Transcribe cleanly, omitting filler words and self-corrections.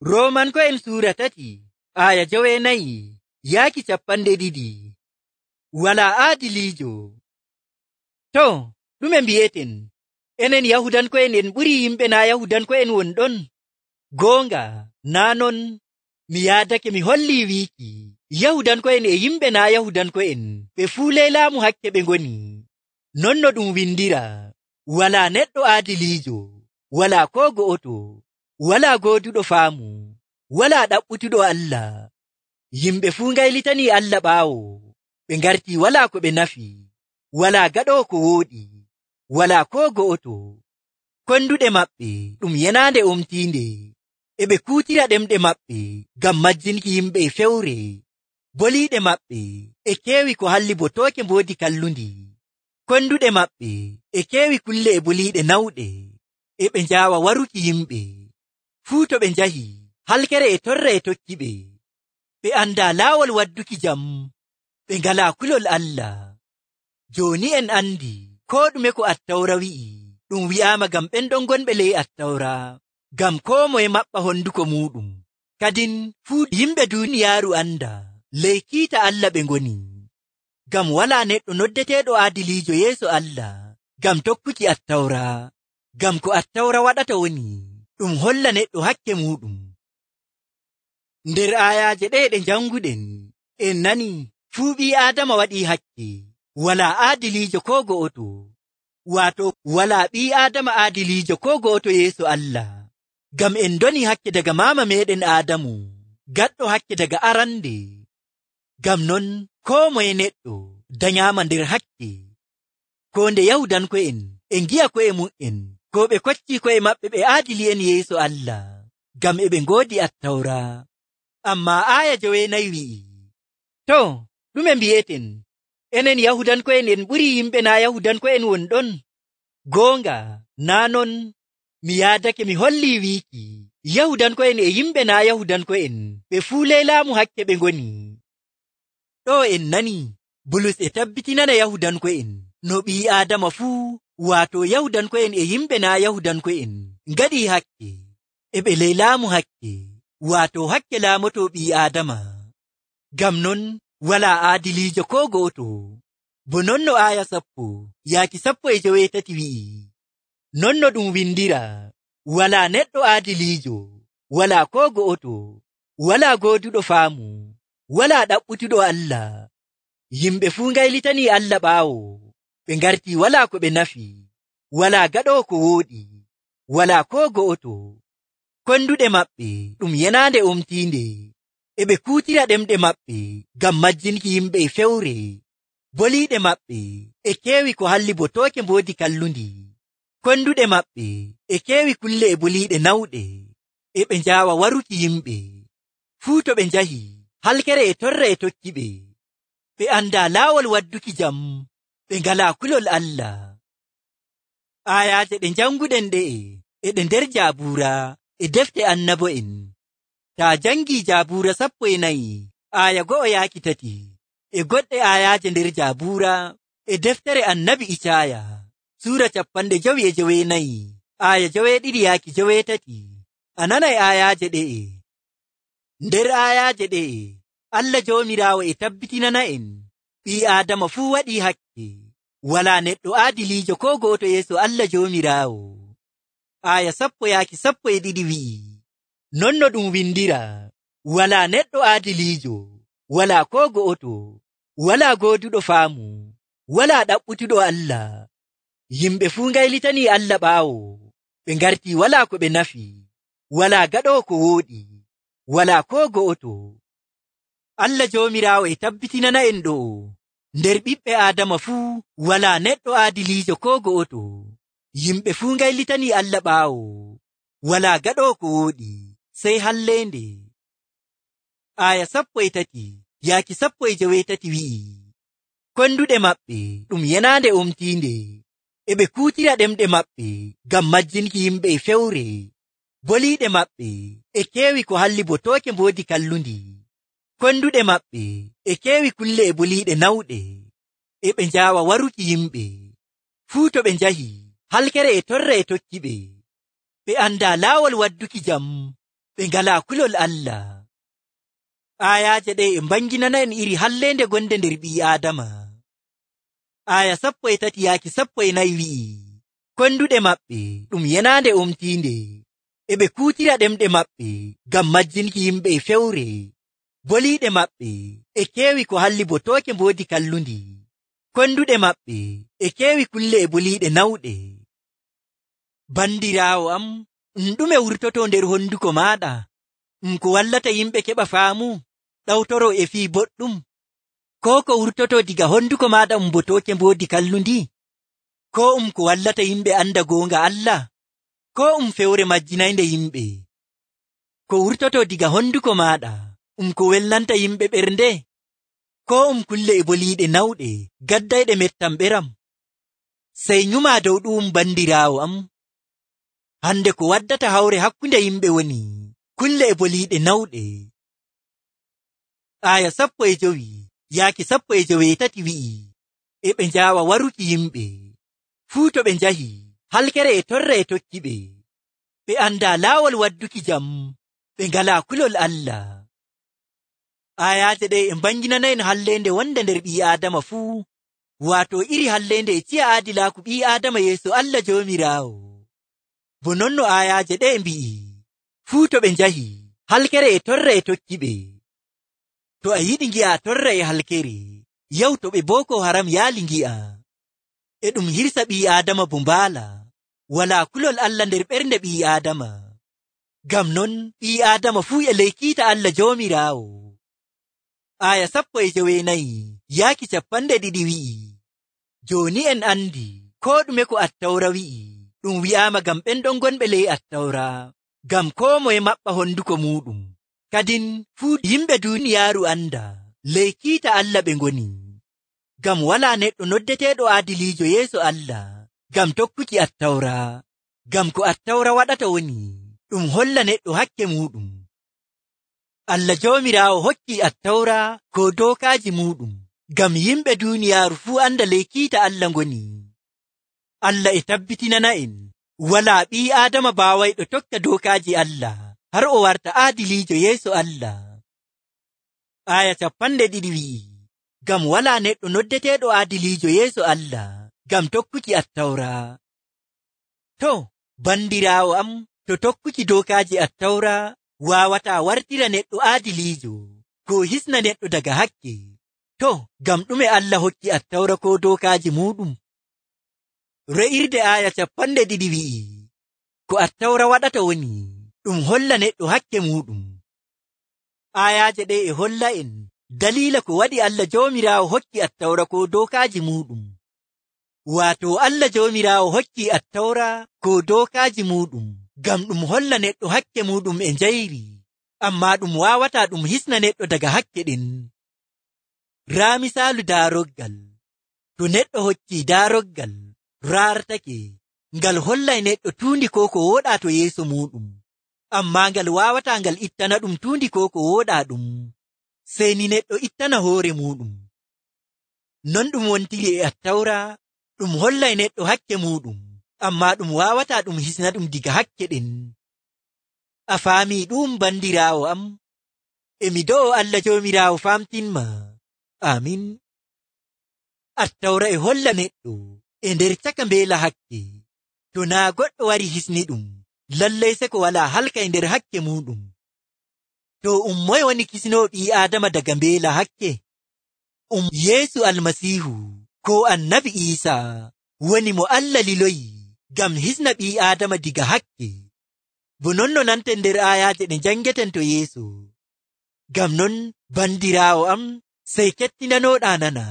Roomanko'en suura 3 aya 9 yaaki 12. Walaa aadiliijo. To, ɗume mbi'eten? Enen Yahudanko'en en ɓurii yimɓe naa Yahudanko'en wonɗon? Goonga, naa non. Mi yaadake mi hollii wiiki Yahudanko'en e yimɓe naa Yahudanko'en ɓe fuu ley laamu hakke ɓe ngoni. Non no ɗum windiraa, walaa neɗɗo aadiliijo, walaa koo go'oto, walaa gooduɗo faamu, walaa ɗaɓɓutuɗo Allah. Yimɓe fuu ngaylitanii Allah ɓaawo, ɓe ngartii walaa ko ɓe nafi, walaa gaɗoowo ko wooɗi, walaa koo go'oto. Konduɗe maɓɓe ɗum yenaande omtiinde, e ɓe kuutira ɗemɗe maɓɓe ngam majjinki yimɓe e fewre. Boliiɗe maɓɓe e keewi ko halli bo tooke mboodi kallundi. Konduɗe maɓɓe e keewi kulle e boliiɗe nawɗe, e ɓe njaawa waruki yimɓe. Fuu to ɓe njahi, halkere e torra e tokki ɓe. Ɓe andaa laawol wadduki jam, ɓe ngalaa kulol Allah. Jooni en andi koo ɗume ko Attawra wi'i, ɗum wi'aama ngam ɓen ɗon gonɓe ley Attawra, ngam koo moye maɓɓa honduko muuɗum. Kadin fuu yimɓe duuniyaaru anda ley kiita Allah ɓe ngoni. Ngam walaa neɗɗo noddeteeɗo aadiliijo yeeso Allah ngam tokkuki Attawra, ngam ko Attawra waɗata woni ɗum holla neɗɗo hakke muuɗum. Nder aayaaje ɗe ɗe janguɗen, en nani fuu ɓii Aadama waɗii hakke, walaa aadiliijo koo go'oto, waato walaa ɓii Aadama aadiliijo koo go'oto yeeso Allah. Ngam en ndoni hakke daga maama meeɗen Aadamu, gaɗɗo hakke daga arande. Ngam non koo moye neɗɗo danyaama nder hakke. Koo nde Yahudanko'en e ngi'a ko'e mum'en koo ɓe koccii ko'e maɓɓe ɓe aadili'en yeeso Allah, ngam e ɓe ngoodi Attawra. Ammaa aaya 9 wi'i, to, ɗume mbi'eten? Enen Yahudanko'en en ɓurii yimɓe naa Yahudanko'en wonɗon? Goonga, naa non. Mi yaadake mi hollii wiiki Yahudanko'en e yimɓe naa Yahudanko'en ɓe fuu ley laamu hakke ɓe ngoni. Ɗo en nani Bulus e tabbitinana Yahudanko'en no ɓii Aadama fuu, waato Yahudanko'en e yimɓe naa Yahudanko'en ngaɗii hakke, e ɓe ley laamu hakke, waato hakke laamotoo ɓii Aadama. Ngam non walaa aadiliijo koo go'oto. Bo non no aaya 10 yaaki 13 wi'i, non no ɗum windiraa, walaa neɗɗo aadiliijo, walaa koo go'oto, walaa gooduɗo faamu, walaa ɗaɓɓutuɗo Allah. Yimɓe fuu ngaylitanii Allah ɓaawo, ɓe ngartii walaa ko ɓe nafi, walaa gaɗoowo ko wooɗi, walaa koo go'oto. Konduɗe maɓɓe ɗum yenaande omtiinde, e ɓe kuutira ɗemɗe maɓɓe ngam majjinki yimɓe e fewre. Boliiɗe maɓɓe e keewi ko halli bo tooke mboodi kallundi. Konduɗe maɓɓe e keewi kulle e boliiɗe nawɗe, e ɓe njaawa waruki yimɓe. Fuu to ɓe njahi, halkere e torra e tokki ɓe. Ɓe andaa laawol wadduki jam, ɓe ngalaa kulol Allah. Aayaaje ɗe janguɗen ɗe'e e ɗe nder Jaabuura e defte annabo'en. Taa jangii Jaabuura 14 aaya 1 yaaki 3, e goɗɗe aayaaje nder Jaabuura e deftere annabi Icaaya suura 59 aaya 2 yaaki 3, a nanay aayaaje ɗe'e. Nder aayaaje ɗe'e Allah Joomiraawo e tabbitinana en ɓii Aadama fuu waɗii hakke, walaa neɗɗo aadiliijo koo go'oto yeeso Allah Joomiraawo. Aaya 10 yaaki 12 wi'i, non no ɗum windiraa, walaa neɗɗo aadiliijo, walaa koo go'oto, walaa gooduɗo faamu, walaa ɗaɓɓutuɗo Allah. Yimɓe fuu ngaylitanii Allah ɓaawo, ɓe ngartii walaa ko ɓe nafi, walaa gaɗoowo ko wooɗi, walaa koo go'oto. Allah Joomiraawo e tabbitinana en ɗo, nder ɓiɓɓe Aadama fuu walaa neɗɗo aadiliijo koo go'oto. Yimɓe fuu ngaylitanii Allah ɓaawo, walaa gaɗoowo ko wooɗi, sey halleende. Aaya 13 yaaki 13 wi'i, konduɗe maɓɓe ɗum yenaande omtiinde, e ɓe kuutira ɗemɗe maɓɓe ngam majjinki yimɓe e fewre. Boliiɗe maɓɓe e keewi ko halli bo tooke mboodi kallundi. Konduɗe maɓɓe e keewi kulle e boliiɗe nawɗe, e ɓe njaawa waruki yimɓe. Fuu to ɓe njahi, halkere e torra e tokki ɓe. Ɓe andaa laawol wadduki jam, ɓe ngalaa kulol Allah. Aayaaje ɗe e mbanginana en iri halleende gonde nder ɓii Aadama. Aaya 13-14 wi'i, konduɗe maɓɓe ɗum yenaande omtiinde, e ɓe kuutira ɗemɗe maɓɓe ngam majjinki yimɓe e fewre. Boliiɗe maɓɓe e keewi ko halli bo tooke mboodi kallundi. Konduɗe maɓɓe e keewi kulle e boliiɗe nawɗe. Bandiraawo am, ɗume wurtoto nder honduko maaɗa? Ko wallata yimɓe keɓa faamu, ɗawtoro e fii boɗɗum? Ko ko wurtoto diga honduko maaɗa bo tooke mboodi kallundi? Ko ko wallata yimɓe anda goonga Allah? Ko fewre majjinaynde yimɓe? Ko wurtoto diga honduko maaɗa ko welnanta yimɓe ɓernde? Ko kulle e boliiɗe nawɗe gaddayɗe mettam ɓeram? Sey nyuma dow ɗum bandiraawo am. Hande ko waddata hawre hakkunde yimɓe woni kulle e boliiɗe nawɗe. Aaya 15-13 wi'i, e ɓe njaawa waruki yimɓe. Fuu to ɓe njahi, halkere e torra e tokki ɓe. Ɓe andaa laawol wadduki jam, ɓe ngalaa kulol Allah. Aayaaje ɗe e mbanginana en halleende wonde nder ɓii Aadama fuu, waato iri halleende e ciya aadilaaku ɓii Aadama yeeso Allah Joomiraawo. Bo nonno aayaaje ɗe mbi'i, fuu to ɓe njahi, halkere e torra e tokki ɓe. To a yiɗi ngi'a torra e halkere, yaw to ɓe Boko Haram yaali ngi'a. E ɗum hirsa ɓii Aadama bo mbaala, walaa kulol Allah nder ɓernde ɓii Aadama. Ngam non ɓii Aadama fuu e ley kiita Allah Joomiraawo. Aaya 19-20 wi'i, jooni en andi koo ɗume ko Attawra wi'i, ɗum wi'aama ngam ɓen ɗon gonɓe ley Attawra, ngam koo moye maɓɓa honduko muɗum. Kadin fuu yimɓe duuniyaaru anda ley kiita Allah ɓe ngoni. Ngam walaa neɗɗo noddeteeɗo aadiliijo yeeso Allah ngam tokkuki Attawra. Ngam ko Attawra waɗata woni ɗum holla neɗɗo hakke muɗum. Allah Joomiraawo hokki Attawra ko dookaaji muɗum ngam yimɓe duuniyaaru fuu anda ley kiita Allah ngoni. Allah e tabbitinana en walaa ɓii Aadama baawayɗo tokka dookaaji Allah har o warta aadiliijo yeeso Allah. Aaya 20 wi'i, ngam walaa neɗɗo noddeteeɗo aadiliijo yeeso Allah ngam tokkuki Attawra. To, bandiraawo am, to tokkuki dookaaji Attawra waawataa wartira neɗɗo aadiliijo ko hisna neɗɗo daga hakke, to ngam ɗume Allah hokki Attawra ko dookaaji muɗum? Re'irde aaya 20 wi'i, ko Attawra waɗata woni ɗum holla neɗɗo hakke muɗum. Aayaaje ɗe e holla en daliila ko waɗi Allah Joomiraawo hokki Attawra ko dookaaji muɗum. Waato Allah Joomiraawo hokki Attawra ko dookaaji muɗum ngam ɗum holla neɗɗo hakke muɗum e njayri, ammaa ɗum waawataa ɗum hisna neɗɗo daga hakke ɗin. Raa misaalu daaroggal. To neɗɗo hokki daaroggal raartake, ngal hollay neɗɗo tuundi ko wooɗaa to yeeso muɗum, ammaa ngal waawataa ngal ittana ɗum tuundi ko wooɗaa ɗum, sey ni neɗɗo ittana hoore muɗum. Non ɗum wontiri e Attawra, ɗum hollay neɗɗo hakke muɗum, ammaa ɗum waawataa ɗum hisna ɗum diga hakke ɗen. A faamii ɗum bandiraawo am? Emi do'o Allah Joomiraawo famtinma. Amin. Attawra e holla neɗɗo e nder caka mbeela hakke. To naa goɗɗo wari hisni ɗum, lallay se ko walaa halka e nder hakke muɗum. To moye woni kisnoo ɓii Aadama daga mbeela hakke? Yeesu Almasiihu ko Annabi Iisaa woni mo Allah liloyi ngam hisna ɓii Aadama diga hakke. Bo non no nanten nder aayaaje ɗe njangeten to yeeso. Ngam non bandiraawo am, sey kettinanooɗaa nana.